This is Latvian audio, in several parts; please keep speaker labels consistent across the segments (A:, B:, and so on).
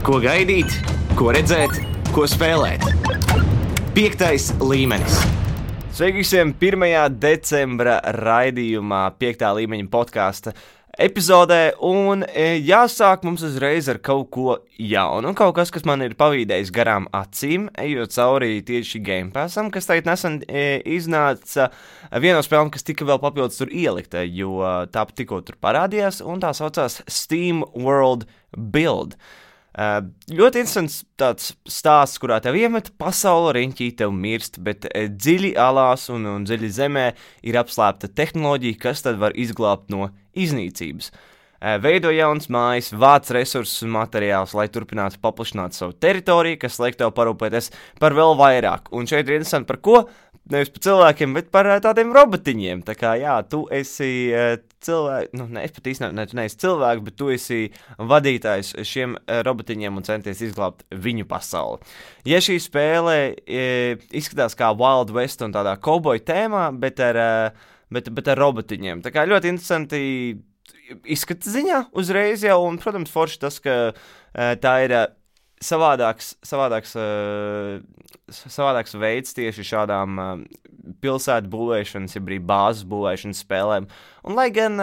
A: Ko gaidīt, ko redzēt, ko spēlēt. 5. līmenis. Sveiki visiem 1. decembra raidījumā 5. līmeņa podkāsta epizodē, un jāsāk mums uzreiz ar kaut ko jaunu, kaut kas, kas man ir pavīdējis garām acīm, ejot cauri tieši Game Passam, kas tagad nesen iznāca viena no spēlēm, kas tika vēl papildus tur ielikta, jo tā tikko tur parādījās, un tā saucās Steam World Build. Ļoti interesants tāds stāsts, kurā tev iemet pasauli riņķī, tev mirst, bet dziļi alās un dziļi zemē ir apslēpta tehnoloģija, kas tad var izglābt no iznīcības. Veido jaunas mājas, vāc resursus un materiālus, lai turpinātu paplašināt savu teritoriju, kas liek tev parūpēties par vēl vairāk. Un šeit ir interesanti par ko? Nevis par cilvēkiem, bet par tādiem robotiņiem. Tā kā, jā, tu esi cilvēks, es pat īstenībā, tu neesi cilvēks, bet tu esi vadītājs šiem robotiņiem un centies izglābt viņu pasauli. Ja šī spēle izskatās kā Wild West un tādā kauboju tēmā, bet ar robotiņiem. Tā kā ļoti interesanti izskata ziņā uzreiz jau, un, protams, forši tas, ka tā ir savādāks veids tieši šādām pilsētu būvēšanas, ja brīd bāzes būvēšanas spēlēm. Un lai gan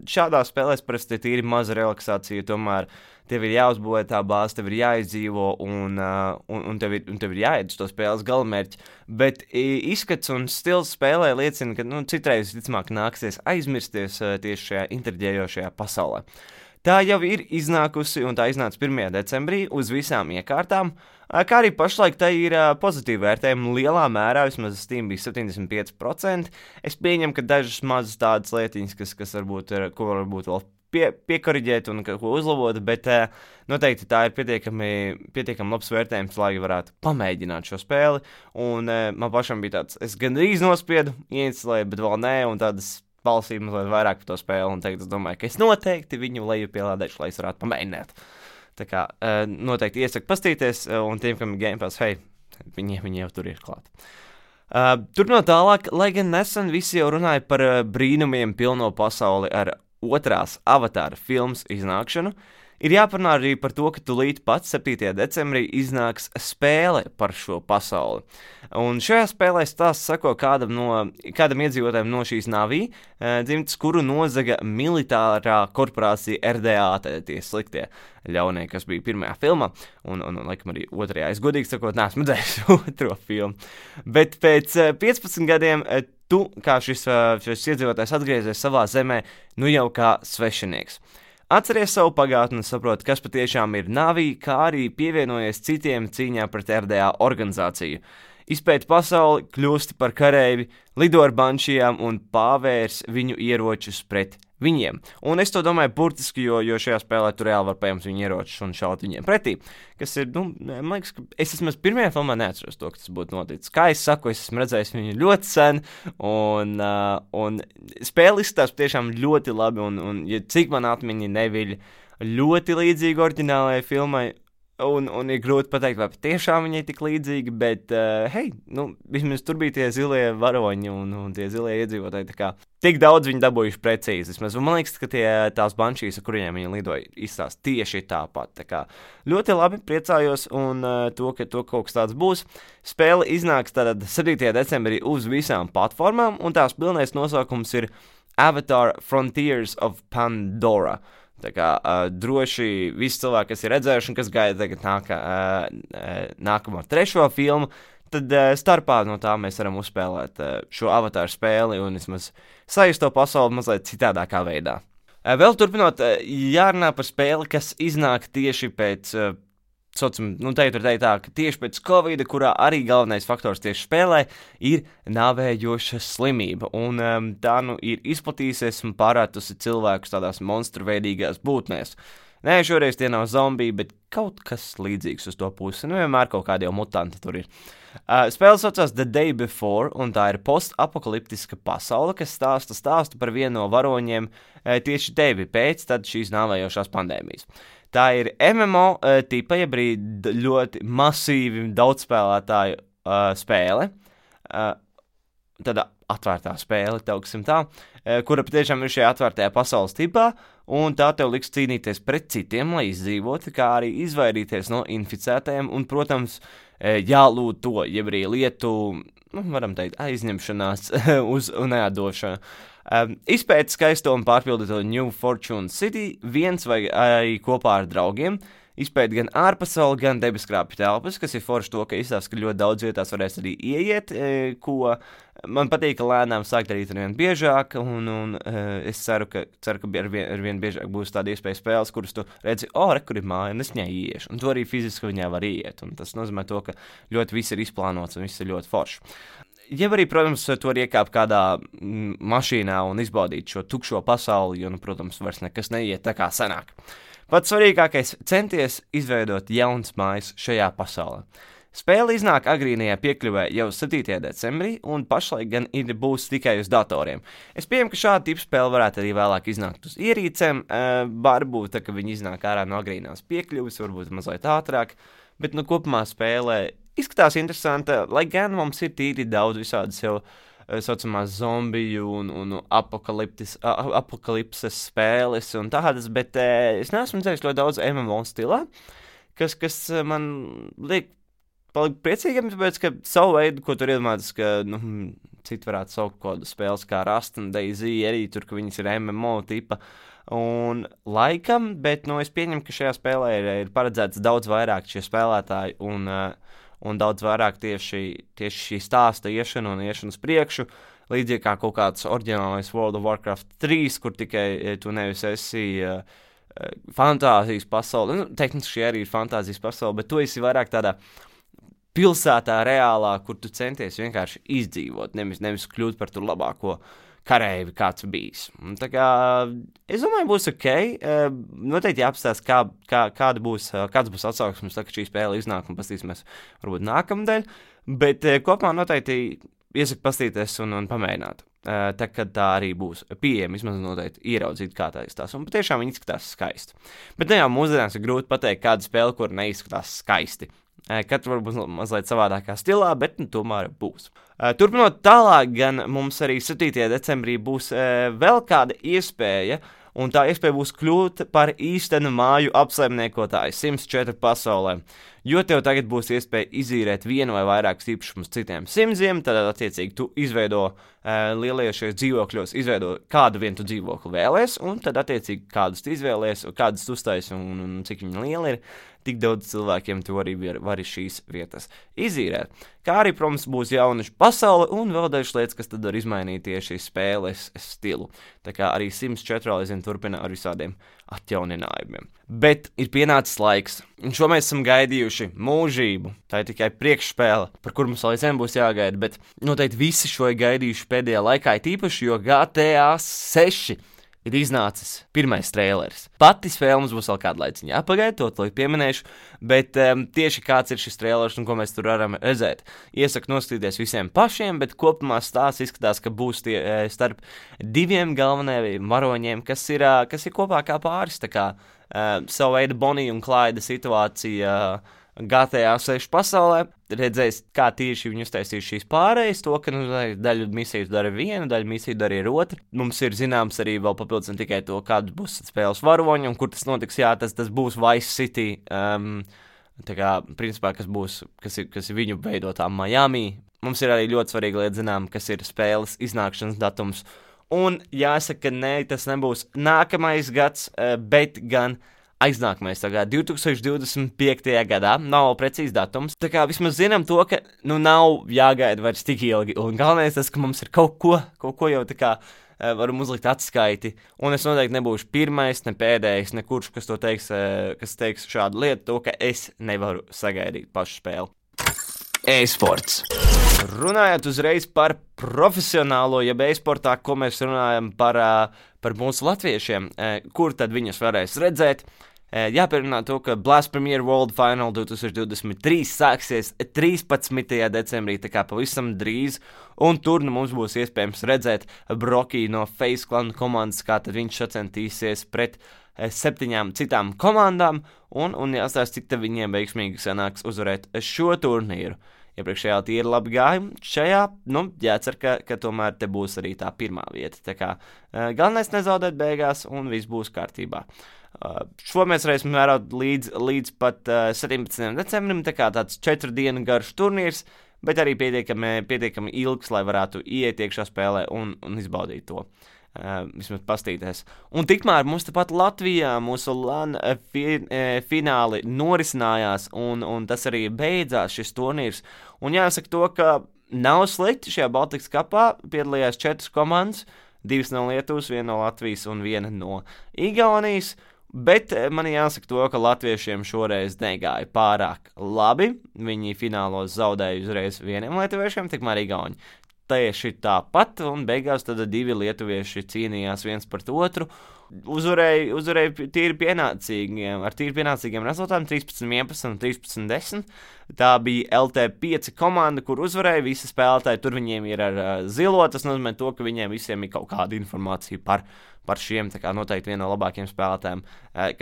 A: šādās spēlēs parasti ir tīri maza relaksācija, tomēr tev ir jāuzbūvē tā bāze, tev ir jāizdzīvo un tev ir jāiet uz to spēles galamērķi. Bet izskats un stils spēlē liecina, ka citreiz visticamāk nāksies aizmirsties tieši šajā intriģējošajā pasaulē. Tā jau ir iznākusi, un tā iznāca 1. decembrī uz visām iekārtām, kā arī pašlaik tā ir pozitīva vērtējuma lielā mērā, vismaz Steam bija 75%. Es pieņemu, ka dažas mazas tādas lietiņas, kas ko varbūt vēl piekoriģēt un ko uzlabot, bet noteikti tā ir pietiekami labs vērtējums, lai varētu pamēģināt šo spēli, un man pašam bija tāds, es gandrīz nospiedu, ieinstalēju, bet vēl nē, un tādas balsīm mazliet vairāk par to spēli, un tagad es domāju, ka es noteikti viņu lejupielādēšu, lai es varētu pamēģināt. Tā kā noteikti iesaku pastīties, un tiem, kam ir Game Pass, viņi jau tur ir klāt. Turpinot tālāk, lai gan nesen visi jau runāja par brīnumiem pilno pasauli ar otrās Avatāra filmas iznākšanu, ir jāparunā arī par to, ka tūlīt pats 7. decembrī iznāks spēle par šo pasauli. Un šajā spēlē stāsts sako kādam iedzīvotājiem no šīs Navī, dzimtas, kuru nozaga militārā korporācija RDA, tad tie sliktie ļaunie, kas bija pirmajā filmā, un laikam arī otrajā. Es godīgi sakot, neesmu redzējis otro filmu. Bet pēc 15 gadiem tu, kā šis iedzīvotājs atgriezies savā zemē, jau kā svešinieks. Atceries savu pagātni un saproti, kas patiešām ir Navī, kā arī pievienojies citiem cīņā pret RDA organizāciju. Izpēti pasauli, kļūsti par kareivi, lido ar banšijām un pāvērs viņu ieročus pret viņiem. Un es to domāju burtiski, jo šajā spēlē tu reāli var paņemt viņu ieročus un šaut viņiem pretī. Kas ir, man liekas, ka es vismaz pirmajā filmā neatceros to, ka tas būtu noticis. Kā es saku, es esmu redzējis viņu ļoti sen, un spēle izskatās tiešām ļoti labi, un ja cik man atmiņa neviļ, ļoti līdzīgi oriģinālajai filmai, un ir grūti pateikt, vai patiešām viņai tik līdzīgi, bet, vismaz tur bija tie zilie varoņi un tie zilie iedzīvotāji, tā kā tik daudz viņi dabūjuši precīzi. Vismaz, man liekas, ka tās banšīs, ar kuriem viņi lidoja, izstās tieši tāpat. Tā kā ļoti labi, priecājos, un to, ka kaut kas tāds būs. Spēle iznāks tātad 7. decembrī uz visām platformām, un tās pilnais nosaukums ir Avatar Frontiers of Pandora. Tā kā droši visi cilvēki, kas ir redzējuši un kas gaida tagad nākamo 3. filmu, tad starpā no tā mēs varam uzspēlēt šo avatāru spēli un vismaz sajust to pasauli mazliet citādākā veidā. Vēl turpinot, jārunā par spēli, kas iznāk tieši pēc, teikt tā, ka tieši pēc Covida, kurā arī galvenais faktors tieši spēlē, ir nāvējoša slimība, un tā ir izplatījusies un pārētusi cilvēkus tādās monstruveidīgās būtnēs. Nē, šoreiz tie nav zombiji, bet kaut kas līdzīgs uz to pusi, vienmēr kaut kādi jau mutanti tur ir. Spēle saucās The Day Before, un tā ir postapokaliptiska pasaule, kas stāsta par vienu no varoņiem tieši tevi pēc šīs nāvējošās pandēmijas. Tā ir MMO tipa, ja brīd ļoti masīvi daudz spēlētāju spēle. Tāda atvērtā spēle, teiksim tā, kura patiešām ir šajā atvērtajā pasaules tipā, un tā tev liks cīnīties pret citiem, lai izdzīvotu, kā arī izvairīties no inficētajiem, un, protams, jālūd to, jeb arī lietu, varam teikt, aizņemšanās uz neatdošanu. Izpēt skaisto un pārpildīto New Fortune City viens vai arī kopā ar draugiem, izpēt gan ārpasauli, gan debeskrāpju telpas, kas ir forši to, ka izstāsta, ka ļoti daudz vietās varēs arī ieiet, ko man patīk, ka lēnām sākt darīt ar vien biežāk, un es ceru, ka ar vien biežāk būs tāda iespēja spēles, kuras tu redzi, kur ir māja, un es viņai ieiešu, un tu arī fiziski viņai var ieiet, un tas nozīmē to, ka ļoti viss ir izplānots, un viss ir ļoti forši. Ja arī, protams, tu vari iekāpt kādā mašīnā un izbaudīt šo tukšo pasauli, jo, protams, vairs nekas neiet tā kā senāk. Pats svarīgākais - centies izveidot jaunas mājas šajā pasaulē. Spēle iznāk agrīnajā piekļuvē jau 7. decembrī, un pašlaik gan būs tikai uz datoriem. Es pieņemu, ka šāda tipa spēle varētu arī vēlāk iznākt uz ierīcēm, varbūt tā, ka viņi iznāk ārā no agrīnās piekļuves, varbūt mazliet ātrāk, bet kopumā spēlē izskatās interesanta, lai gan mums ir tīri daudz visādas jau saucamās zombiju un apokalipses spēles un tādas, bet es neesmu dzējis ļoti daudz MMO stilā, kas man liek palikt priecīgam, tāpēc, ka savu veidu, ko tur iedomājas, ka citi varētu saukt kādu spēles kā Rust un DayZ, arī tur, ka viņas ir MMO tipa, un laikam, bet es pieņemu, ka šajā spēlē ir paredzēts daudz vairāk šie spēlētāji un daudz vairāk tieši šī stāsta iešana un iešana uz priekšu, līdzīgi kā kaut kāds oriģinālais World of Warcraft 3, kur tikai tu nevis esi fantāzijas pasaule, tehniski arī ir fantāzijas pasaule, bet tu esi vairāk tādā pilsētā reālā, kur tu centies vienkārši izdzīvot, nevis kļūt par tur labāko karēvi, kāds bijis. Un tā kā, es domāju, būs ok. Noteikti jāapstāsta, kāds būs atsauksmes, tā kā šī spēle iznāk un pastīsimies varbūt nākamdēļ, bet kopumā noteikti iesaku pastīties un pamēģināt. Tā, kad tā arī būs pieejama, vismaz noteikti ieraudzīt, kā tā izskatās. Un patiešām viņi izskatās skaisti. Bet jau mūsdienās ir grūti pateikt, kāda spēle, kur neizskatās skaisti. Katra varbūt mazliet savādākā stilā, bet tomēr būs. Turpinot tālāk, gan mums arī 7. decembrī būs vēl kāda iespēja, un tā iespēja būs kļūt par īstenu māju apsaimniekotāju Sims 4 pasaulē. Jo tev tagad būs iespēja izīrēt vienu vai vairākus īpašumus citiem Simsiem, tad attiecīgi tu izveido lielajos šajos dzīvokļos, izveido kādu vienu tu dzīvokli vēlēs, un tad attiecīgi kādus tu izvēlies, kādus tu uztais un cik viņi lieli ir, tik daudz cilvēkiem tu arī vari šīs vietas izīrēt. Kā arī, protams, būs jaunašu pasaule un vēl dažas lietas, kas tad var izmainīt tieši spēles stilu. Tā kā arī Sims 4 aizvien turpina ar visādiem atjauninājumiem. Bet ir pienācis laiks, un šo mēs esam gaidījuši mūžību. Tā ir tikai priekšspēle, par kur mums vēl aizvien būs jāgaida, bet noteikti visi šo ir gaidījuši pēdējā laikā, tīpaši, jo GTA 6 ir iznācis pirmais traileris. Pati spēle mums būs vēl kādu laiciņu jāpagaida, to pieminēšu, bet tieši kāds ir šis trailers un ko mēs tur varam redzēt. Iesaku noskatīties visiem pašiem, bet kopumā stāsts izskatās, ka būs starp diviem galvenajiem varoņiem, kas ir kopā kā pāris, tā kā savu veidu Bonija un Klaida situācija GTA 6 pasaulē. Redzēs, kā tieši viņi uztaisīs šīs pārējas, to, ka daļu misiju dara viena, daļu misiju dara ir otra. Mums ir zināms arī vēl papildus ne tikai to, kāds būs spēles varoņi un kur tas notiks, jā, tas būs Vice City, tā kā, principā, kas ir viņu veidotā Miami. Mums ir arī ļoti svarīga lieta zinām, kas ir spēles iznākšanas datums. Un jāsaka, ka tas nebūs nākamais gads, bet gan aiznākamais, tā kā 2025. gadā, nav precīzi datums, tā kā vismaz zinām to, ka, nav jāgaida vairs tik ilgi, un galvenais tas, ka mums ir kaut ko jau tā kā varam uzlikt atskaiti, un es noteikti nebūšu pirmais, ne pēdējais, ne kurš, kas teiks šādu lietu, to, ka es nevaru sagaidīt pašu spēli. E-sports. Runājot uzreiz par profesionālo, jeb e-sportā, ko mēs runājam par mūsu latviešiem, kur tad viņus varēs redzēt. Jāpierunā to, ka Blast Premier World Final 2023 sāksies 13. decembrī, tā kā pavisam drīz, un tur mums būs iespējams redzēt Broky no FaZe Clan komandas, kā tad viņš sacentīsies pret 7 citām komandām, un jāstāsta, cik te viņiem veiksmīgi sanāks uzvarēt šo turnīru. iepriekšējā tīri labi gāja. Šajā, jācer, ka tomēr te būs arī tā pirmā vieta. Tā kā galvenais nezaudēt beigās un viss būs kārtībā. Šo mēs varēsim vērot līdz pat 17. decembrim, tā kā tāds 4 dienu garš turnīrs, bet arī pietiekami ilgs, lai varētu ieiet iekšā spēlē un izbaudīt to. Vismaz pastīties. Un tikmēr mums tepat Latvijā mūsu LAN fināli norisinājās, un tas arī beidzās šis turnīrs. Un jāsaka to, ka nav slikti šajā Baltikas kapā, piedalījās 4 komandas, 2 no Lietuvas, 1 no Latvijas un 1 no Igaunijas. Bet man jāsaka to, ka latviešiem šoreiz negāja pārāk labi. Viņi finālos zaudēja uzreiz 1 lietuviešiem, tikmēr Igauni tieši tāpat, un beigās tad 2 lietuvieši cīnījās viens pret otru. Uzvarēja tīri pienācīgiem rezultātiem 13-11 un 13-10. Tā bija LT5 komanda, kur uzvarēja visi spēlētāji. Tur viņiem ir ar zilo, tas nozīmē to, ka viņiem visiem ir kaut kāda informācija par šiem, tā kā noteikti viena no labākajiem spēlētājiem,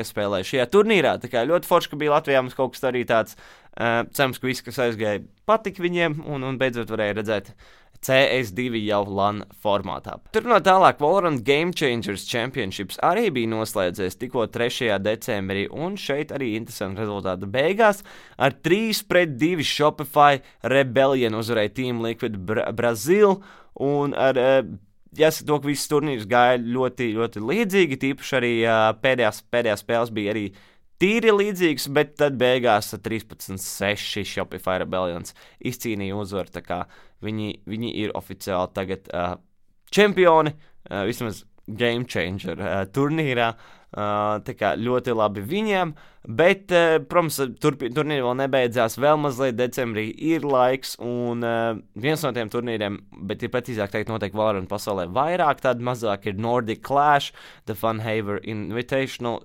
A: kas spēlēja šajā turnīrā. Tā kā ļoti forši, ka bija Latvijā mums kaut kas arī tāds, cerams, ka viss, kas aizgāja, patika viņiem, un beidzot varēja redzēt CS2 jau LAN formātā. Turpinot tālāk, Valorant Game Changers Championships arī bija noslēdzies tikko 3. decembrī, un šeit arī interesanti rezultāti beigās. Ar 3-2 Shopify Rebellion uzvarēja Team Liquid Brazil, un ar jāsaka to, ka viss turnīrs gāja ļoti, ļoti līdzīgi, tīpaši arī pēdējās spēles bija arī tīri līdzīgs, bet tad beigās 13-6 Shopify Rebellions izcīnīja uzvaru, tā kā viņi ir oficiāli tagad čempioni, vismaz Game Changer turnīrā, tā kā ļoti labi viņiem, bet, protams, turnīri vēl nebeidzās, vēl mazliet decembrī ir laiks, un viens no tiem turnīriem, bet ir precīzāk teikt noteikti Valorant pasaulē vairāk, tad mazāk ir Nordic Clash, The Funhaver Invitational,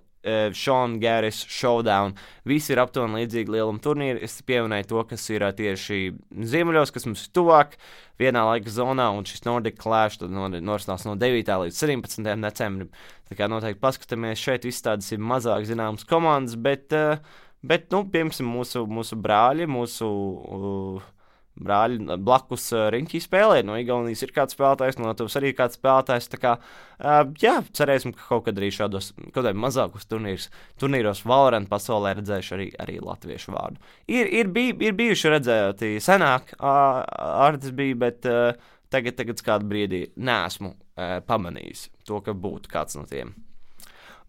A: Sean Garris Showdown. Visi ir aptuveni līdzīgi lieluma turnīri. Es pieminēju to, kas ir tieši ziemeļos, kas mums ir tuvāk vienā laika zonā, un šis Nordic Clash tad norisinās no 9. līdz 17. decembrim. Tā kā noteikti paskatāmies, šeit viss tādas ir mazāk zināmas komandas, bet piemēram, mūsu brāļi, brāļi blakus riņķī spēlē. No Igaunijas ir kāds spēlētājs, no Latvijas arī kāds spēlētājs. Tā kā, cerēsim, ka kaut kad arī šādos, kaut kādā mazākos turnīros Valorant pasaulē redzējuši arī latviešu vārdu. Ir bijuši redzēti senāk, Ārtis bija, bet tagad kādu brīdī neesmu pamanījis to, ka būtu kāds no tiem.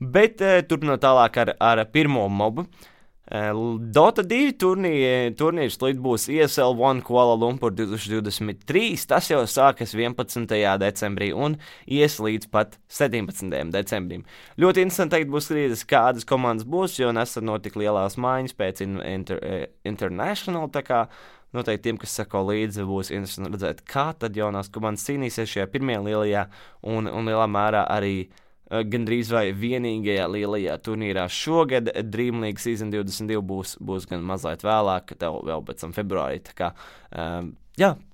A: Bet turpinot tālāk ar pirmo mobu, Dota 2 turnīrs būs ESL One Kuala Lumpur 2023, tas jau sākas 11. decembrī un ies līdz pat 17. decembrim. Ļoti interesanti teikt būs skatīties, kādas komandas būs, jo nesen notika lielās maiņas pēc International, tā kā noteikti tiem, kas sako līdzi, būs interesanti redzēt, kā tad jaunās komandas cīnīsies šajā pirmajā lielajā un lielā mērā arī gandrīz vai vienīgajā lielajā turnīrā šogad. Dream League Season 22 būs gan mazliet vēlāk, tev vēl pēc tam februārī. Tā kā,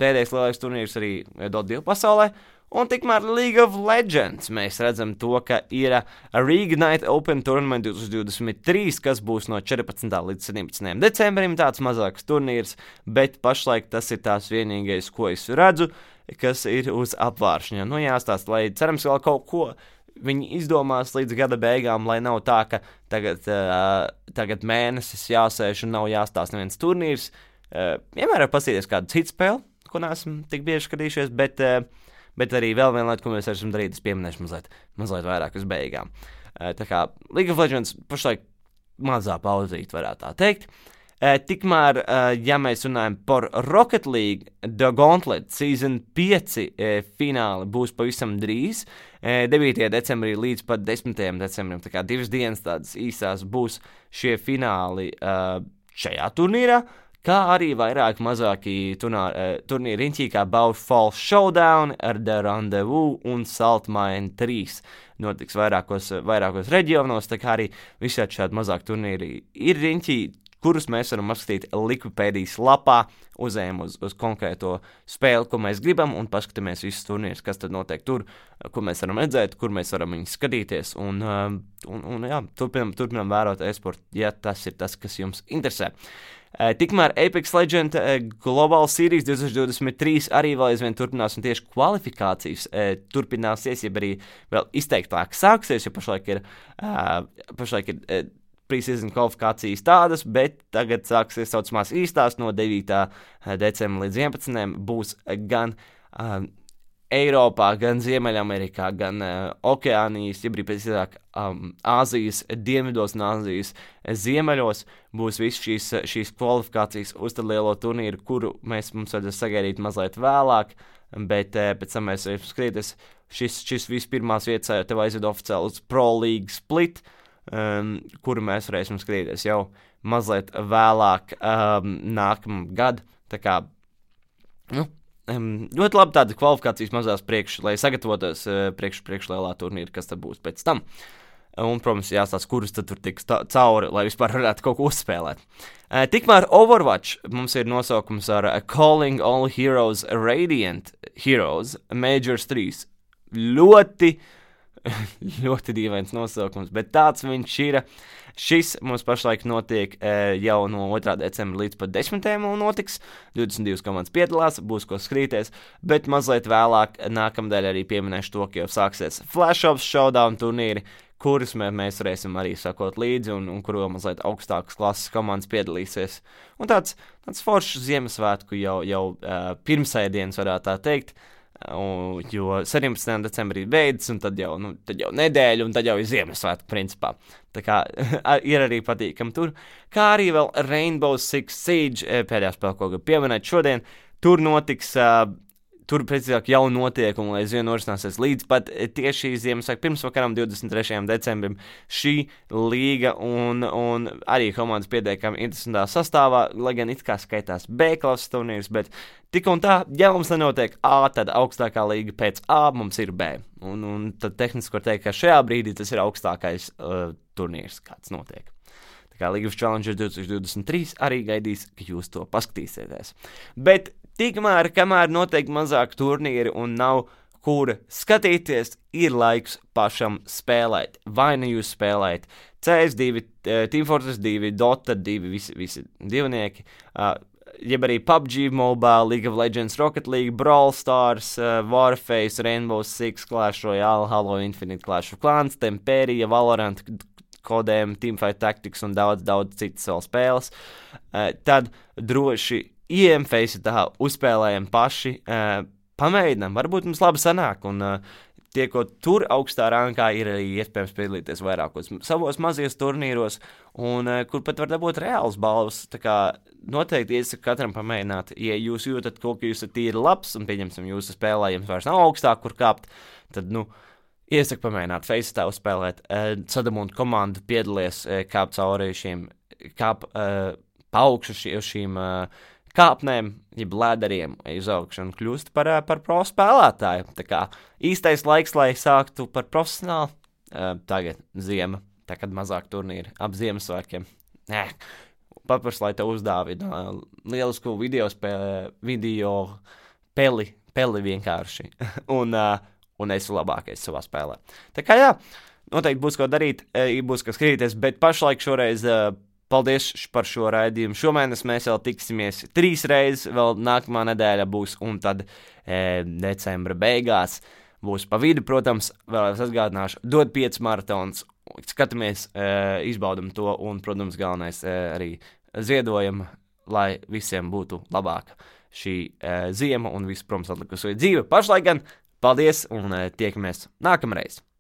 A: pēdējais lielais turnīrs arī Dota 2 pasaulē. Un tikmēr League of Legends mēs redzam to, ka ir Reignite Open Tournament 2023, kas būs no 14. līdz 17. decembrim, tāds mazāks turnīrs, bet pašlaik tas ir tās vienīgais, ko es redzu, kas ir uz apvāršņa. Jāstāst, lai cerams vēl kaut ko viņi izdomās līdz gada beigām, lai nav tā, ka tagad mēnesis jāsēž un nav jāstāsta neviens turnīrs. Vienmēr var pasīties kādu citu spēli, ko neesam tik bieži skatījušies, bet arī vēl viena lieta, ko mēs varam darīt, es pieminēšu mazliet vairāk uz beigām. Tā kā League of Legends pašlaik mazā pauzīt, varētu tā teikt. Tikmēr, ja mēs runājam par Rocket League, The Gauntlet Season 5 fināli būs pavisam drīz, 9. decembrī līdz pat 10. decembrim, tā kā 2 dienas tādas īsās būs šie fināli šajā turnīrā, kā arī vairāk mazāki turnīri riņķī, kā Bowfall Showdown, ar The Rendezvous un Saltmine 3. Notiks vairākos reģionos, tā kā arī visādi šādi mazāk turnīri ir riņķī. kurus mēs varam apskatīt Likupēdijas lapā, uzējam uz konkrēto spēli, ko mēs gribam, un paskatāmies visus turnīrus, kas tad notiek tur, ko mēs varam redzēt, kur mēs varam viņus skatīties, un jā, turpinam vērot e-sportu, ja tas ir tas, kas jums interesē. Tikmēr Apex Legends Global Series 2023 arī vēl aizvien turpinās, un tieši kvalifikācijas turpināsies, ja arī vēl izteiktāk sāksies, jo pašlaik ir pre-season kvalifikācijas tādas, bet tagad sāksies saucamās īstās no 9. decembra līdz 11. būs gan Eiropā, gan Ziemeļamerikā, gan Okeānijas, ja brīd pēc Āzijas dienvidos un Āzijas ziemeļos būs viss šīs kvalifikācijas uz tad lielo turnīru, kuru mums vajadzēs sagaidīt mazliet vēlāk, bet pēc tam mēs varam skrieties. Šis vispirmās vietas tev aizved oficiāli uz Pro League Split, kuru mēs varēsim skatīties jau mazliet vēlāk nākamgad. Tā kā, ļoti labi tāda kvalifikācijas mazās lai sagatavotos priekš lielā turnīra, kas tad būs pēc tam. Un, protams, jāstāsta, kurus tad tur tiks cauri, lai vispār varētu kaut ko uzspēlēt. Tikmēr Overwatch mums ir nosaukums ar Calling All Heroes Radiant Heroes Majors 3. Ļoti dīvains nosaukums, bet tāds viņš ir. Šis mums pašlaik notiek jau no 2. decembra līdz pat 10. notiks. 22 komandas piedalās, būs ko skatīties, bet mazliet vēlāk nākamdēļ arī pieminēšu to, ka jau sāksies Flash Ops Showdown turnīri, kurus mēs varēsim arī sakot līdzi un kuru mazliet augstākas klases komandas piedalīsies. Un tāds foršs Ziemassvētku jau pirmsēdienas varētu tā teikt. Jo 17. decembrī beidzas, un tad jau nedēļa, un tad jau ir Ziemassvētku principā. Tā kā ir arī patīkami tur. Kā arī vēl Rainbow Six Siege, pēdējā spēle, ko gribu pieminēt šodien, tur notiks, tur precīzāk jau notiek, un aizvien norisināsies līdz pat tieši Ziemassvētku pirmsvakaram, 23. decembrim, šī līga un arī komandas pietiekami interesantā sastāvā, lai gan it kā skaitās B klases turnīrs, bet tik un tā, ja mums nenotiek A, tad augstākā līga pēc A mums ir B. Un tad tehniski var teikt, ka šajā brīdī tas ir augstākais turnīrs, kāds notiek. Tā kā League of Challenger 2023 arī gaidīs, ka jūs to paskatīsieties. Bet tikmēr, kamēr notiek mazāk turnīri un nav kur skatīties, ir laiks pašam spēlēt. Vai nu jūs spēlējat CS2, Team Fortress 2, Dota 2, visi divnieki, jeb arī PUBG Mobile, League of Legends, Rocket League, Brawl Stars, Warface, Rainbow Six, Clash Royale, Halo Infinite, Clash of Clans, Temperia, Valorant, Kodēm, Teamfight Tactics un daudz citas vēl spēles, tad droši IMFace tā uzspēlējam paši, pamēģinām, varbūt mums labi sanāk, un tiekot tur augstā rankā ir arī iespējams piedalīties vairākos savos mazajos turnīros, un kur pat var dabūt reāls balvas, tā kā noteikti iesaku katram pamēģināt, ja jūs jūtat kaut, ka jūs esat tīri labs, un pieņemsim jūsu spēlē, jums vairs nav augstāk, kur kāpt, tad, iesaku pamēģināt Face tā uzspēlēt, Sadamund komandu piedalies, kāp cauri paukšu šīm kāpnēm, jeb lēderiem uz augšu un kļūst par pro spēlētāju. Tā kā īstais laiks, lai sāktu par profesionālu, tagad ziema, tā kad mazāk turnīri ap Ziemassvētkiem. Papars, lai te uzdāvina lielisku video peli vienkārši. un esmu labākais savā spēlē. Tā kā jā, noteikti būs ko darīt, būs ko skatīties, bet pašlaik šoreiz paldies par šo raidījumu. Šomēnes mēs vēl tiksimies 3 reizes, vēl nākamā nedēļa būs, un tad decembra beigās būs pa vidu, protams, vēl atgādināšu, dod 5 maratons, skatāmies, izbaudam to, un, protams, galvenais arī ziedojam, lai visiem būtu labāka šī ziema un viss, protams, atlikusi dzīve. Pašlaik gan paldies, un tiekamies nākamreiz!